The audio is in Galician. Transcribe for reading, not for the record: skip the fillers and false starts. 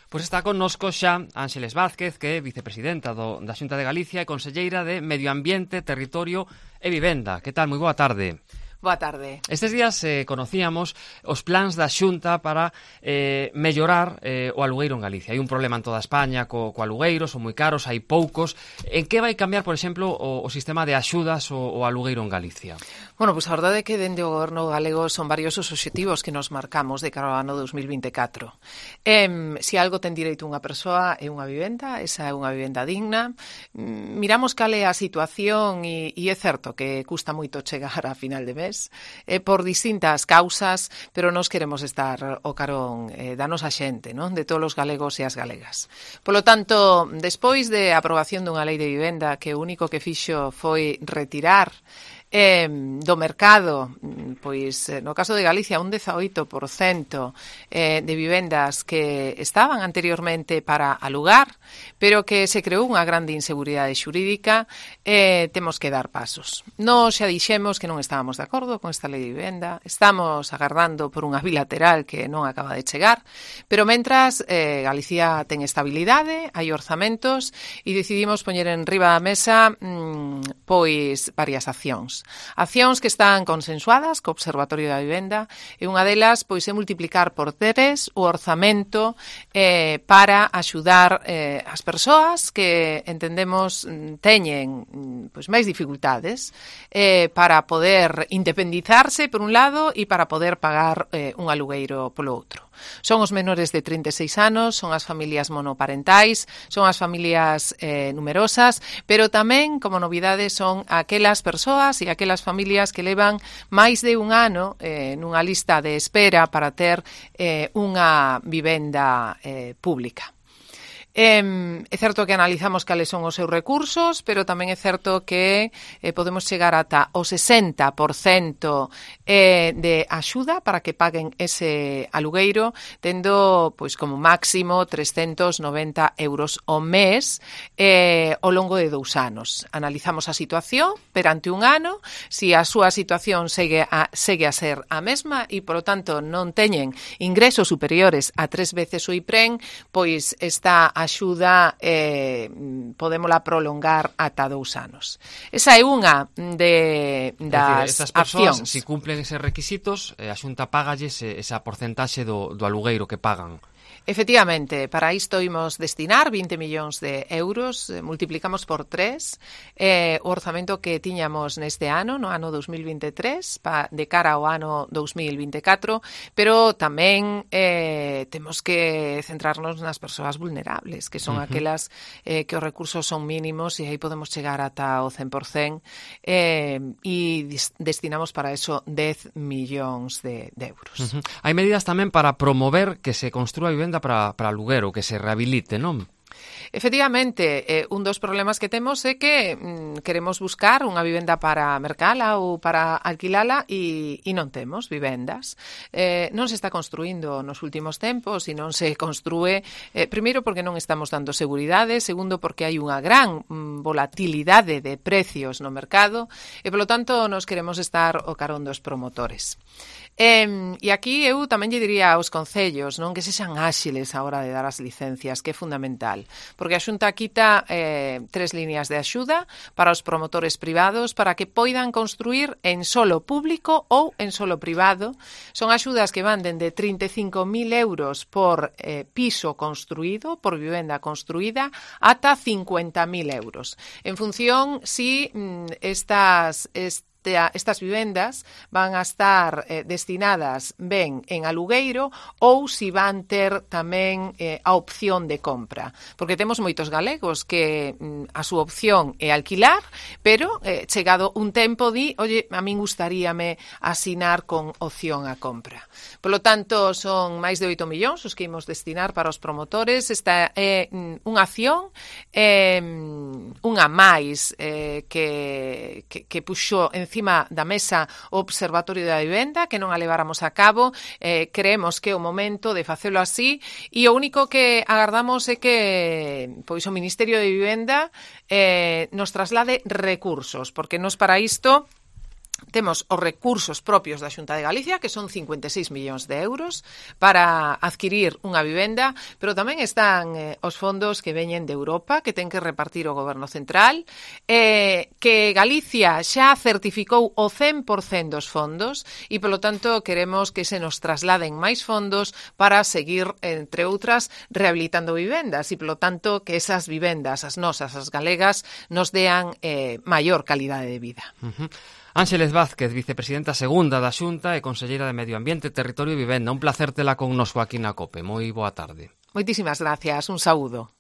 Pois está connosco xa Ánxeles Vázquez, que é vicepresidenta da Xunta de Galicia e conselleira de Medio Ambiente, Territorio e Vivenda. Que tal? Moi boa tarde. Boa tarde. Estes días conocíamos os plans da Xunta para mellorar o alugueiro en Galicia. Hai un problema en toda España co alugueiro, son moi caros, hai poucos. En que vai cambiar, por exemplo, o sistema de axudas ao alugueiro en Galicia? Bueno, pois a verdade é que dende o goberno galego son varios os obxectivos que nos marcamos de cara ao ano 2024. Se algo ten direito unha persoa é unha vivenda, esa é unha vivenda digna. Miramos cal é a situación e é certo que custa moito chegar a final de mes, por distintas causas, pero nós queremos estar ao carón da nosa xente, non? De todos os galegos e as galegas. Polo tanto, despois de aprobación dunha lei de vivenda que o único que fixo foi retirar do mercado, pois no caso de Galicia un 18% de vivendas que estaban anteriormente para alugar, pero que se creou unha grande inseguridade xurídica, temos que dar pasos. Nós xa dixemos que non estábamos de acordo con esta lei de vivenda, estamos agardando por unha bilateral que non acaba de chegar, pero mentras Galicia ten estabilidade, hai orzamentos e decidimos poñer en riba da mesa pois varias accións. Accións que están consensuadas co Observatorio da Vivenda e unha delas pois é multiplicar por 3 o orzamento para axudar as persoas que entendemos teñen pois máis dificultades para poder independizarse por un lado e para poder pagar un alugueiro polo outro. Son os menores de 36 anos, son as familias monoparentais, son as familias numerosas, pero tamén, como novidade, son aquelas persoas e aquelas familias que levan máis de un ano nunha lista de espera para ter unha vivenda pública. É certo que analizamos cales son os seus recursos, pero tamén é certo que podemos chegar ata o 60% de axuda para que paguen ese alugueiro, tendo pois como máximo 390 euros ao mes ao longo de 2 anos. Analizamos a situación perante un ano, se a súa situación segue a ser a mesma e, polo tanto, non teñen ingresos superiores a 3 veces o IPREN, pois esta axuda podémola prolongar ata 2 anos. Esa é unha das persoas, accións. se cumplen eses requisitos, a Xunta págalles esa porcentaxe do alugueiro que pagan. Efectivamente, para isto imos destinar 20 millóns de euros, multiplicamos por 3 o orzamento que tiñamos neste ano, no ano 2023, de cara ao ano 2024, pero tamén temos que centrarnos nas persoas vulnerables, que son aquelas que os recursos son mínimos e aí podemos chegar ata o 100%, e destinamos para eso 10 millóns de euros. Hai medidas tamén para promover que se construa vivenda para aluguero, que se rehabilite, non? Efectivamente, un dos problemas que temos é que queremos buscar unha vivenda para mercala ou para alquilala e non temos vivendas. Non se está construindo nos últimos tempos e non se construe, primeiro porque non estamos dando seguridade, segundo porque hai unha gran volatilidade de precios no mercado e, polo tanto, nos queremos estar ao carón dos promotores. E aquí eu tamén lle diría aos concellos, non, que sexan áxiles a hora de dar as licencias, que é fundamental, porque a Xunta quita 3 líneas de axuda para os promotores privados para que poidan construir en solo público ou en solo privado. Son axudas que van dende 35.000 euros por piso construído, por vivenda construída, ata 50.000 euros, en función si estas vivendas van a estar destinadas ben en alugueiro ou si van ter tamén a opción de compra. Porque temos moitos galegos que a súa opción é alquilar, pero chegado un tempo oye, a min gustaríame asinar con opción a compra. Polo tanto, son máis de 8 millóns os que imos destinar para os promotores. Esta é unha acción, unha máis que puxo encima da mesa o Observatorio da Vivenda, que non a leváramos a cabo. Creemos que é o momento de facelo así e o único que agardamos é que pois o Ministerio de Vivenda nos traslade recursos, porque nos para isto Temos os recursos propios da Xunta de Galicia, que son 56 millóns de euros para adquirir unha vivenda, pero tamén están os fondos que veñen de Europa, que ten que repartir o Goberno Central, que Galicia xa certificou o 100% dos fondos e, polo tanto, queremos que se nos trasladen máis fondos para seguir, entre outras, rehabilitando vivendas e, polo tanto, que esas vivendas, as nosas, as galegas, nos dean maior calidade de vida. Ánxeles Vázquez, vicepresidenta segunda da Xunta e conselleira de Medio Ambiente, Territorio e Vivenda. Un placer tela connosco aquí na COPE. Moi boa tarde. Moitísimas gracias. Un saúdo.